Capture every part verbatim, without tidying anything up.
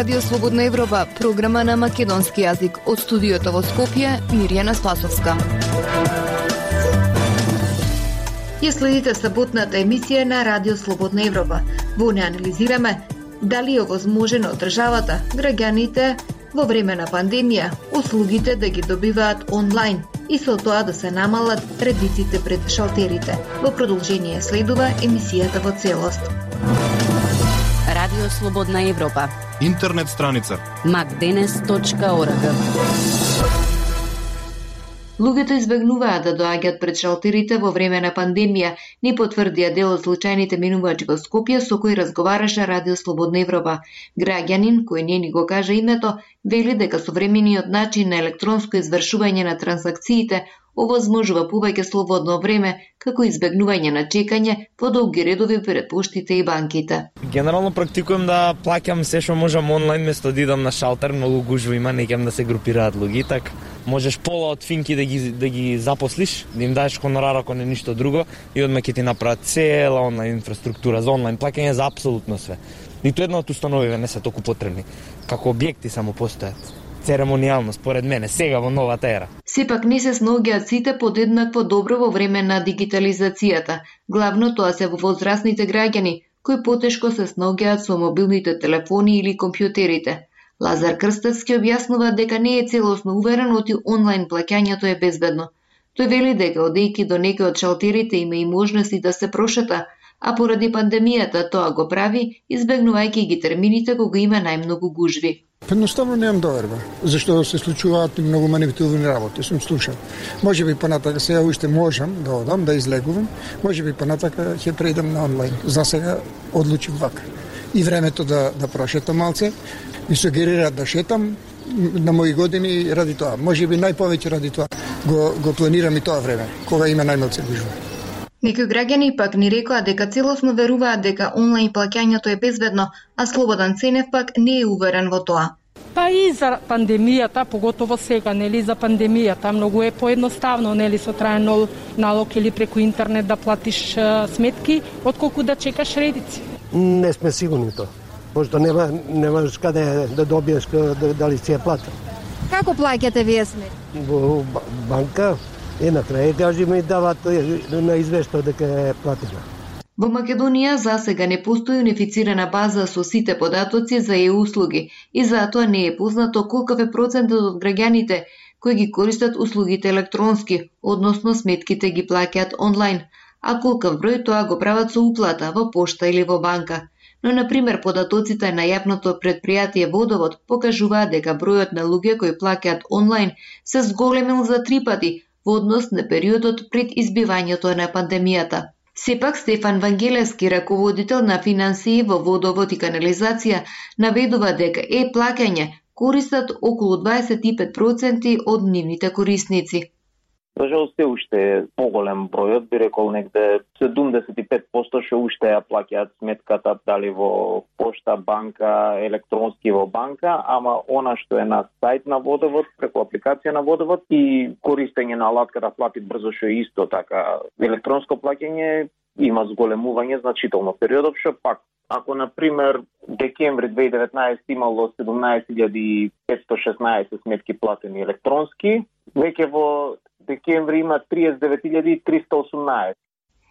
Радио Слободна Европа, програма на македонски јазик. Од студиото во Скопје, Мирјана Спасовска. Ја следите саботната емисија на Радио Слободна Европа. Во неја анализираме дали е возможно од државата, граѓаните во време на пандемија, услугите да ги добиваат онлайн и со тоа да се намалат редиците пред шалтерите. Во продолжение следува емисијата во целост. Радио Слободна Европа. Интернет страница макденес точка орг. Луѓето избегнуваат да доаѓаат пред шалтерите во време на пандемија, ни потврдија дел од случајните минувачи во Скопје со кои разговараше Радио Слободна Европа. Граѓанин, кој не ни го кажа името, вели дека современиот начин на електронско извршување на трансакциите овозможува повеќе слободно време, како избегнување на чекање по долги редови пред поштите и банките. Генерално практикувам да плаќам се што можам онлайн место да идам на шалтер, многу гужва има, не ќам да се групираат луѓе, така можеш пола од финки да ги да ги запослиш, да им даеш хонорар ако не ништо друго и одма ќе ти направат цела онлайн инфраструктура за онлайн плаќање за апсолутно све. Ниту една од установите не се толку потребни, како објекти само постојат. Церемонијално, според мене, сега во новата ера. Сепак не се снаоѓаат сите подеднакво добро во време на дигитализацијата. Главно тоа се во возрастните граѓани, кои потешко се снаоѓаат со мобилните телефони или компјутерите. Лазар Крстевски објаснува дека не е целосно уверен оти онлайн плаќањето е безбедно. Тој вели дека одејќи до некои од шалтерите има и можности да се прошета, а поради пандемијата тоа го прави, избегнувајќи ги термините кога има најмногу гужви. Едноставно немам доверба, зашто се случуваат и многу манипулативни работи, сум слушал. Може би понатака сега уште можам да одам, да излегувам, може би понатака ќе преидам на онлайн. За сега одлучив вака. И времето да, да прошетам малце, ми сугерираат да шетам на мои години ради тоа. Може би најповеќе ради тоа го, го планирам и тоа време, кога има најмалце гужва. Некои граѓани пак ни рекоа дека целосно веруваат дека онлайн плаќањето е безбедно, а Слободан Ценев пак не е уверен во тоа. Па и за пандемијата, поготово сега, нели, за пандемијата, многу е поедноставно, нели, со траен налог или преку интернет да платиш а, сметки, отколку да чекаш редици. Не сме сигурни тоа, пошто нема немаш каде да добиеш дали си ја платил. Како плаќате вие сметки? Во банка. И на крај кажи ми дават на извештај дека е платена. Во Македонија за сега не постои унифицирана база со сите податоци за е-услуги и затоа не е познато колкав е процентот од граѓаните кои ги користат услугите електронски, односно сметките ги плаќаат онлайн, а колкав број тоа го прават со уплата во пошта или во банка. Но, например, податоците на јавното предпријатие Водовод покажуваат дека бројот на луѓе кои плаќаат онлайн се зголемил за три пати во однос на периодот пред избивањето на пандемијата. Сепак Стефан Вангелевски, раководител на финансии во Водовод и канализација, наведува дека е-плаќање користат околу дваесет и пет проценти од нивните корисници. За жал се уште е поголем бројот, би рекол негде седумдесет и пет проценти што уште ја плаќаат сметката дали во пошта, банка, електронски во банка, ама она што е на сајт на Водовод, преку апликација на Водовод и користење на алатка да платит брзо што е исто така. Електронско плаќање има зголемување значително периодов што пак ако на пример декември две илјади и деветнаесетте имало седумнаесет илјади петстотини и шеснаесет сметки платени електронски, веќе во декември има триесет и девет илјади триста и осумнаесет.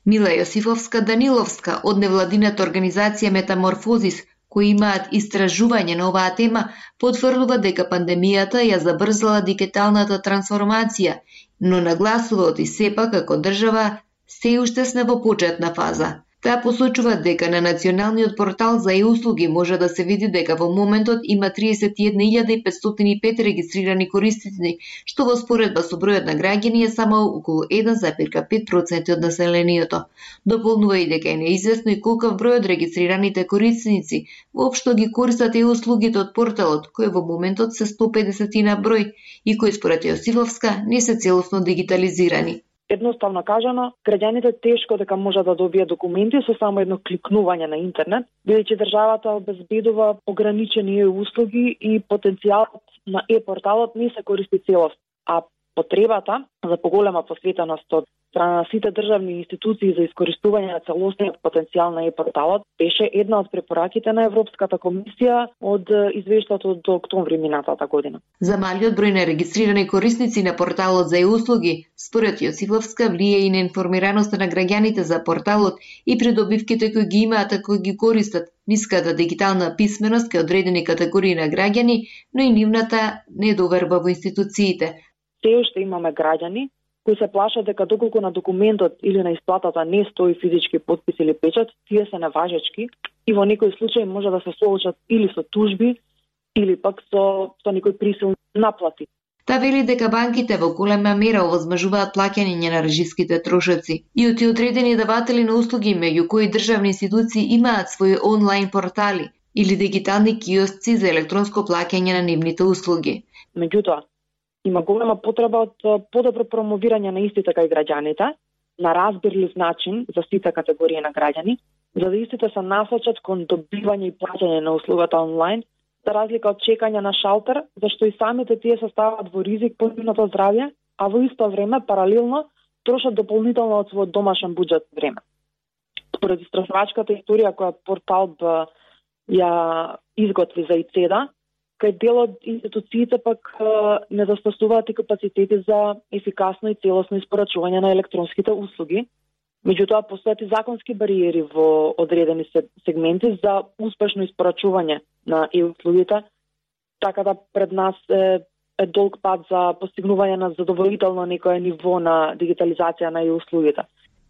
Мила Јосифовска Даниловска од невладината организација Метаморфозис, кои имаат истражување на оваа тема, потврдува дека пандемијата ја забрзала дигиталната трансформација, но нагласува оти сепак како држава се уште сме во почетна фаза. Таа посочува дека на националниот портал за е-услуги може да се види дека во моментот има триесет и една илјада петстотини и пет регистрирани корисници, што во споредба со бројот на граѓани е само околу еден зарез пет проценти од населението. Дополнува и дека е неизвестно и колкав број од регистрираните корисници воопшто ги користат е-услугите од порталот, кој во моментот се сто педесет на број и кои според Јосифовска не се целосно дигитализирани. Едноставно кажано, граѓаните тешко дека можат да добијат документи со само едно кликнување на интернет, бидејќи државата обезбедува ограничени услуги и потенцијалот на е-порталот не се користи целост, а потребата за поголема посветеност од страна на сите државни институции за искористување на целосниот потенцијал на e-порталот беше една од препораките на Европската комисија од извештајот од октомври минатата година. За малиот број на регистрирани корисници на порталот за e-услуги, според Јосифовска, влие и на информираноста на граѓаните за порталот и придобивките кои ги имаат ако ги користат, ниската дигитална писменост кај одредени категории на граѓани, но и нивната недоверба во институциите. Се уште имаме граѓани кои се плашат дека доколку на документот или на исплатата не стои физички потпис или печат, тие се неважечки и во некои случаи може да се соочат или со тужби или пак со, со некои присилни наплати. Та вели дека банките во голема мера овозможуваат плаќање на режиските трошоци и од одредени даватели на услуги, меѓу кои државни институции имаат своји онлайн портали или дигитални киосци за електронско плаќање на нивните услуги. Меѓутоа, има голема потреба од подобро промовирање на истите кај граѓаните, на разбирлив начин за сите категории на граѓани, за да истите се насочат кон добивање и плаќање на услугата онлайн, за разлика од чекање на шалтер, зашто и самите тие се стават во ризик по нивното здравје, а во исто време паралелно трошат дополнително од својот домашен буџет време. Според истражувачката историја која портал ја изготви за ИЦЕДА, кај дел од институциите пак недостасуваат и капацитети за ефикасно и целосно испорачување на електронските услуги. Меѓутоа, постојат законски бариери во одредени сегменти за успешно испорачување на e-услугите, така да пред нас е, е долг пат за постигнување на задоволително некое ниво на дигитализација на e-услугите.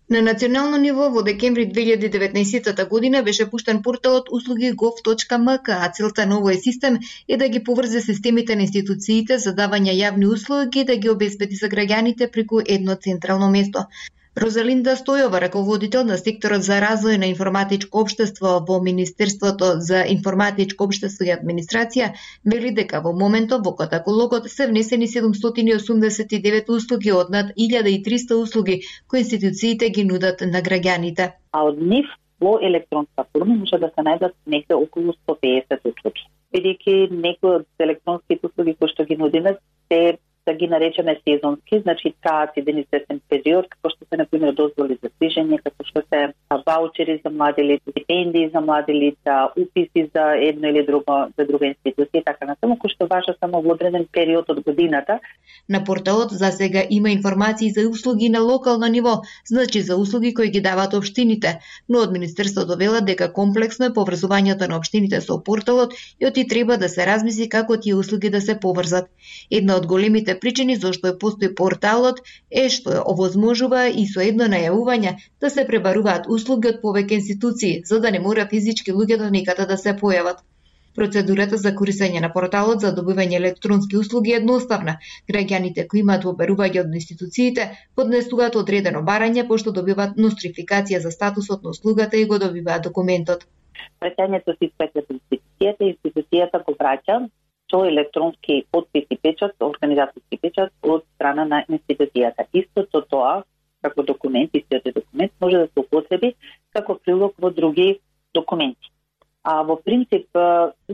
На национално ниво во декември две илјади и деветнаесетта година беше пуштен порталот услуги гов точка ем ка, а целта на овој систем е да ги поврзе системите на институциите за давање јавни услуги и да ги обезбеди за граѓаните преку едно централно место. Розалинда Стојова, раководител на секторот за развој на информатичко општество во Министерството за информатичко општество и администрација, вели дека во моментов во каталогот се внесени седумстотини и осумдесет и девет услуги од над илјада и триста услуги кои институциите ги нудат на граѓаните. А од нив во електронска форма може да се најдат некаде околу сто пеесет услуги. Бидејќи некои од електронските услуги кои што ги нудиме се да ги наречеме сезонски, значи траат еден известен период, како што се, например, дозволи за движење, како што се ваучери за млади лица, стипендии за млади лица, уписи за едно или друго, за друга институција, така натаму, кои што важат само во одреден период од годината. На порталот за сега има информации за услуги на локално ниво, значи за услуги кои ги даваат општините, но од Министерството велат дека комплексно е поврзувањето на општините со порталот и оти треба да се размисли како тие услуги да се поврзат. Една од големите причини зашто е постои порталот е што овозможува и со едно најавување да се пребаруваат услуги од повеќе институции, за да не мора физички луѓето никаде да се појават. Процедурата за користење на порталот за добивање електронски услуги е едноставна. Граѓаните кои имаат побарување од институциите поднесуваат одредено барање, пошто добиваат нострификација за статусот на услугата и го добиваат документот. Праќањето се испраќа до институцијата, институцијата го праќа со електронски потпис и печат, организаторски печат од страна на институцијата. Истото тоа, како документ, истиот документ може да се употреби како прилог во други документи. А во принцип,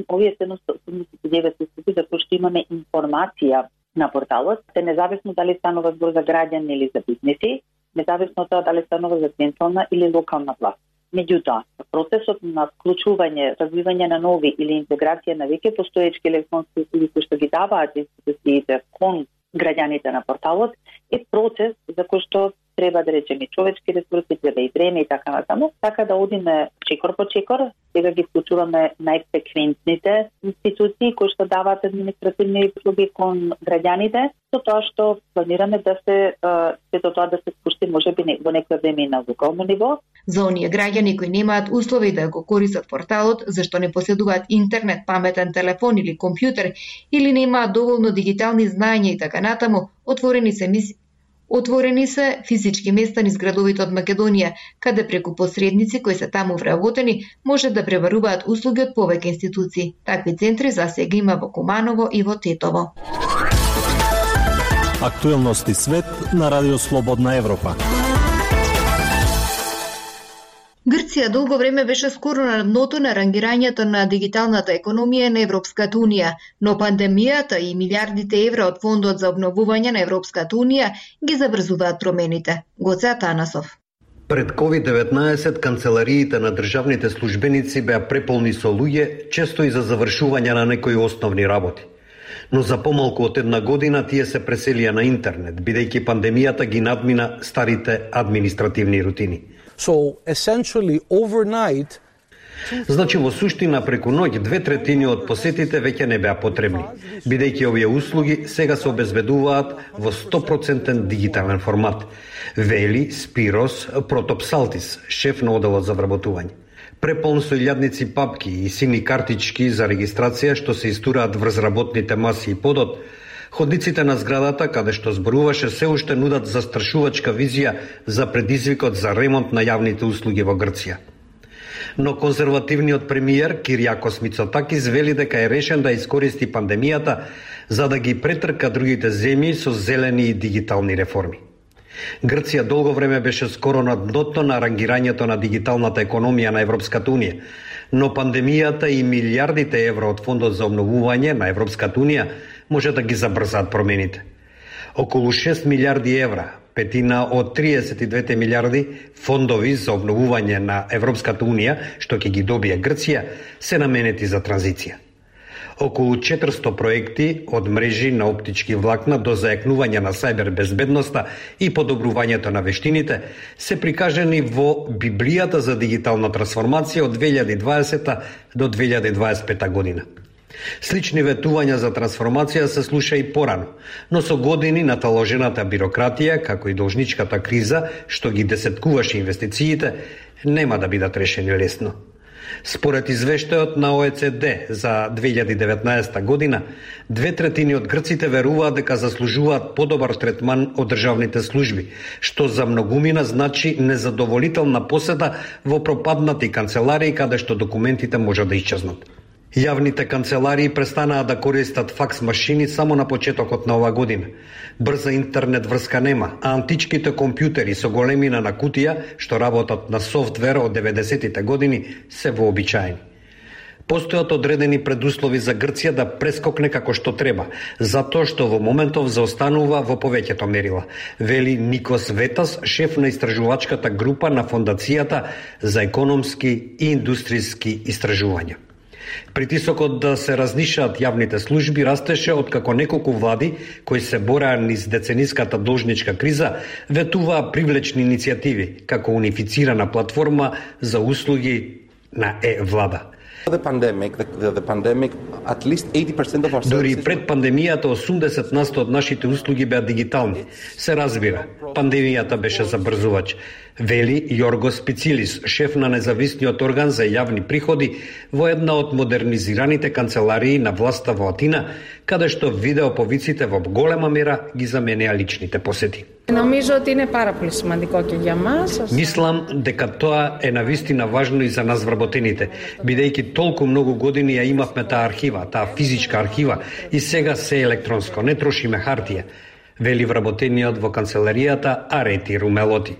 овие седумстотини и осумдесет и девет услуги за кои што имаме информација на порталот, се независно дали станува збор за граѓани или за бизнеси, независно од тоа дали станува за централна или локална власт. Меѓутоа, процесот на вклучување, развивање на нови или интеграција на веќе постоечки електронски услуги кои што ги даваат институциите кон граѓаните на порталот е процес за кој што треба да речеме човечки ресурси, треба и време и така натаму, така да одиме чекор по чекор, сега ги вклучуваме најфреквентните институции кои што даваат административни услуги кон граѓаните, со тоа што планираме да се сето тоа да се спушти можеби во некој време на локално ниво. За оние граѓани кои немаат услови да го користат порталот, зашто не поседуваат интернет, паметен телефон или компјутер, или немаат доволно дигитални знаења и така натаму, отворени се мис... Отворени се физички места низ градовите од Македонија, каде преку посредници кои се таму вработени може да пребаруваат услуги од повеќе институции. Такви центри за сега има во Куманово и во Тетово. Актуелности свет на Радио Слободна Европа. Грција долго време беше скоро на дното на рангирањето на дигиталната економија на Европската унија, но пандемијата и милиардите евра од фондот за обновување на Европската унија ги забрзуваат промените. Гоце Атанасов. Пред ковид деветнаесет канцелариите на државните службеници беа преполни со луѓе, често и за завршување на некои основни работи. Но за помалку од една година тие се преселија на интернет, бидејќи пандемијата ги надмина старите административни рутини. So essentially overnight Значи во суштина преку ноќ две третини од посетите веќе не беа потребни, бидејќи овие услуги сега се обезбедуваат во сто проценти дигитален формат, вели Спирос Протопсалтис, шеф на оделот за вработување. Преполн со илјадници папки и сини картички за регистрација што се истураат врз работните маси и подот, ходниците на зградата, каде што зборуваше, се уште нудат застрашувачка визија за предизвикот за ремонт на јавните услуги во Грција. Но конзервативниот премиер Кириакос Мицотакис вели дека е решен да искористи пандемијата за да ги претрка другите земји со зелени и дигитални реформи. Грција долго време беше скоро на дното на рангирањето на дигиталната економија на Европската унија, но пандемијата и милиардите евра од фондот за обновување на Европската унија може да ги забрзаат промените. Околу шест милиарди евра, петина од триесет и две милиарди фондови за обновување на Европската унија, што ќе ги добие Грција, се наменети за транзиција. Околу четиристо проекти од мрежи на оптички влакна до зајакнување на сајбер безбедноста и подобрувањето на вештините се прикажани во Библијата за дигитална трансформација од две илјади и дваесета до две илјади и дваесет и пета година. Слични ветувања за трансформација се слуша и порано, но со години наталожената бирократија, како и должничката криза, што ги десеткуваше инвестициите, нема да бидат решени лесно. Според извештајот на О Е Це Де за две илјади и деветнаесета година, две третини од грците веруваат дека заслужуваат подобар третман од државните служби, што за многумина значи незадоволителна посета во пропаднати канцеларии каде што документите може да исчезнат. Јавните канцеларии престанаа да користат факс машини само на почетокот на ова година. Брза интернет врска нема, а античките компјутери со големина на кутија, што работат на софтвер од деветдесетите години, се вообичаени. Постојат одредени предуслови за Грција да прескокне како што треба, затоа што во моментов заостанува во повеќето мерила, вели Никос Ветас, шеф на истражувачката група на Фондацијата за економски и индустријски истражувања. Притисокот да се разнишаат јавните служби растеше откако неколку влади кои се бореа низ децениската должничка криза ветуваа привлечни иницијативи како унифицирана платформа за услуги на е-влада. The pandemic, the, the pandemic, at least eighty percent of our Дори пред пандемијата осумдесет на сто од нашите услуги беа дигитални. Се разбира, пандемијата беше забрзувач, вели Јоргос Пицилис, шеф на независниот орган за јавни приходи во една од модернизираните канцеларии на власта во Атина, каде што видеоповиците во голема мера ги заменеа личните посети. Νομίζω ότι είναι πάρα πολύ σημαντικό και για μας. Мислам дека тоа е навистина важно и за нас вработените, бидејќи толку многу години ја имавме таа архива, таа физичка архива и сега се електронско, не трошиме хартија, вели вработениот во канцеларијата Арети Румелоти.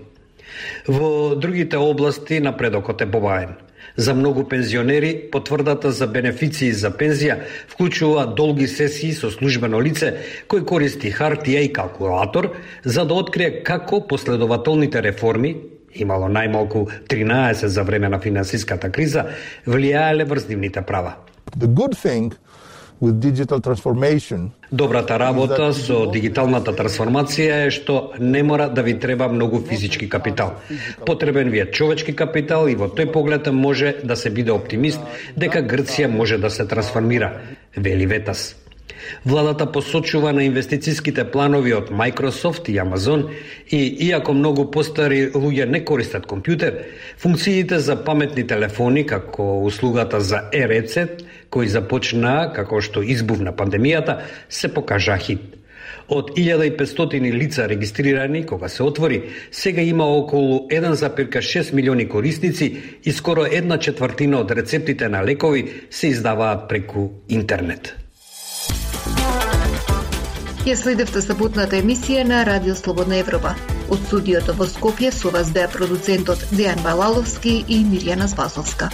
Во другите области напредокот е побаен. За многу пензионери потврдата за бенефиции за пензија вклучува долги сесии со службено лице кој користи хартија и калкулатор за да открие како последователните реформи, имало најмалку тринаесет за време на финансиската криза, влијаеле врз нивните права. The good thing with digital transformation. Добрата работа со дигиталната трансформација е што не мора да ви треба многу физички капитал. Потребен ви е човечки капитал и во тој поглед може да се биде оптимист дека Грција може да се трансформира, вели Ветас. Владата посочува на инвестицијските планови од Microsoft и Amazon и, иако многу постари луѓе не користат компјутер, функциите за паметни телефони, како услугата за е-рецепт, кој започнаа како што избувна пандемијата, се покажа хит. Од илјада и петстотини лица регистрирани кога се отвори, сега има околу еден запирка шест милиони корисници и скоро една четвртина од рецептите на лекови се издаваат преку интернет. Ја следевте саботната емисија на Радио Слободна Европа. Од студиото во Скопје со вас беа продуцентот Дејан Балаловски и Мирјана Спасовска.